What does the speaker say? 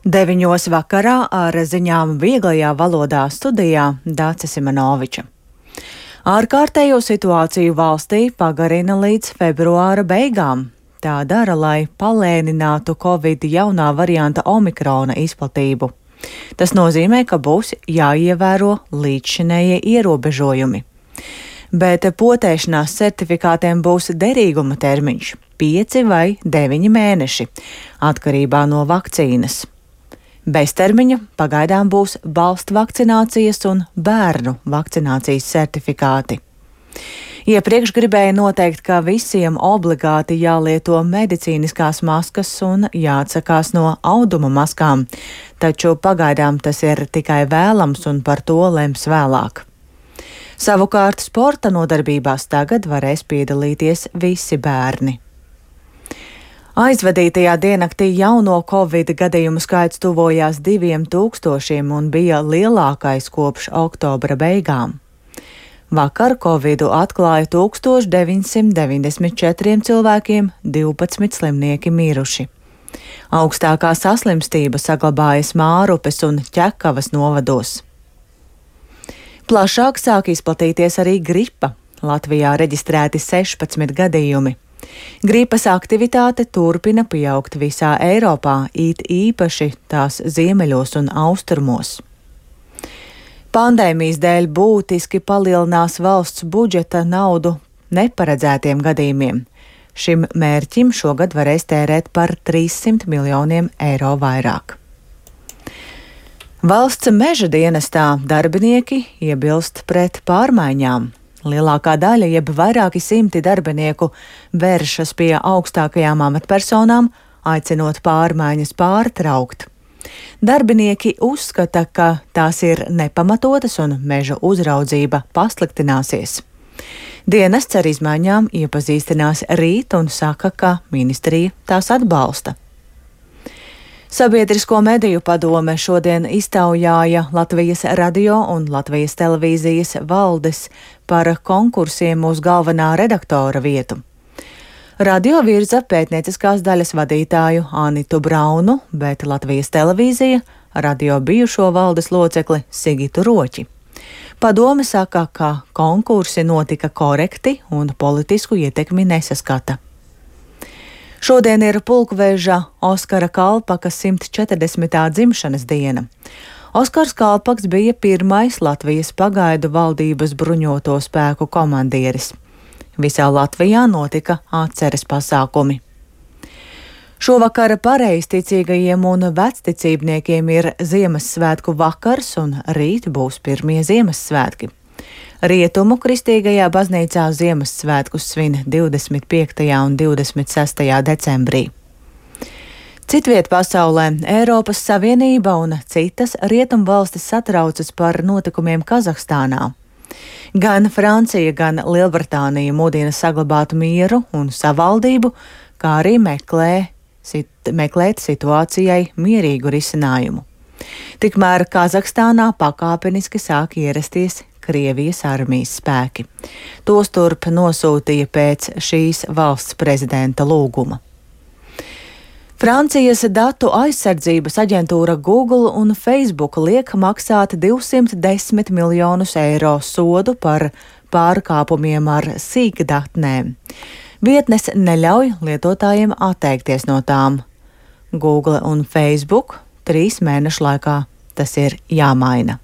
9 vakarā ar ziņām vieglajā valodā studijā Dāce Simanoviča. Ārkārtējo situāciju valstī pagarina līdz februāra beigām. Tā dara, lai palēninātu Covid jaunā varianta omikrona izplatību. Tas nozīmē, ka būs jāievēro līdzšinējie ierobežojumi. Bet potēšanās certifikātiem būs derīguma termiņš - 5 vai 9 mēneši, atkarībā no vakcīnas. Beztermiņa pagaidām būs balstu vakcinācijas un bērnu vakcinācijas certifikāti. Iepriekš gribēja noteikt, ka visiem obligāti jālieto medicīniskās maskas un jāatsakās no auduma maskām, taču pagaidām tas ir tikai vēlams un par to lems vēlāk. Savukārt sporta nodarbībās tagad varēs piedalīties visi bērni. Aizvadītajā diennaktī jauno Covid gadījumu skaits tuvojās 2000 un bija lielākais kopš oktobra beigām. Vakar Covidu atklāja 1994 cilvēkiem, 12 slimnieki miruši. Augstākā saslimstība saglabājas Mārupes un Ķekavas novados. Plašāk sāk izplatīties arī gripa. Latvijā reģistrēti 16 gadījumi. Gripas aktivitāte turpina pieaugt visā Eiropā, it īpaši tās ziemeļos un austrumos. Pandēmijas dēļ būtiski palielinās valsts budžeta naudu neparedzētiem gadījumiem. Šim mērķim šogad varēs tērēt par 300 miljoniem eiro vairāk. Valsts meža dienestā darbinieki iebilst pret pārmaiņām. Lielākā daļa, jeb vairāki simti darbinieku, vēršas pie augstākajām amatpersonām, aicinot pārmaiņas pārtraukt. Darbinieki uzskata, ka tās ir nepamatotas un meža uzraudzība pasliktināsies. Dienests ar izmaiņām iepazīstinās rīt un saka, ka ministrija tās atbalsta. Sabiedrisko mediju padome šodien iztaujāja Latvijas radio un Latvijas televīzijas valdes par konkursiem uz galvenā redaktora vietu. Radio virza pētnieciskās daļas vadītāju Anitu Braunu, bet Latvijas televīzija radio bijušo valdes locekli Sigitu Roķi. Padome saka, ka konkursi notika korekti un politisku ietekmi nesaskata. Šodien ir pulkveža Oskara Kalpaka 140. dzimšanas diena. Oskars Kalpaks bija pirmais Latvijas pagaidu valdības bruņoto spēku komandieris. Visā Latvijā notika atceres pasākumi. Šovakar pareizticīgajiem un vecticībniekiem ir Ziemassvētku vakars un rīt būs pirmie Ziemassvētki. Rietumu kristīgajā baznīcā Ziemassvētkus svin 25. un 26. decembrī. Citviet pasaulē Eiropas Savienība un citas rietumvalstis satraucas par notikumiem Kazahstānā. Gan Francija, gan Lielbritānija mudina saglabāt mieru un savaldību, kā arī meklēt situācijai mierīgu risinājumu. Tikmēr Kazahstānā pakāpeniski sāk ierasties Krievijas armijas spēki. Tos turp nosūtīja pēc šīs valsts prezidenta lūguma. Francijas datu aizsardzības aģentūra Google un Facebook liek maksāt 210 miljonus eiro sodu par pārkāpumiem ar sīkdatnēm. Vietnes neļauj lietotājiem atteikties no tām. Google un Facebook 3 mēnešu laikā tas ir jāmaina.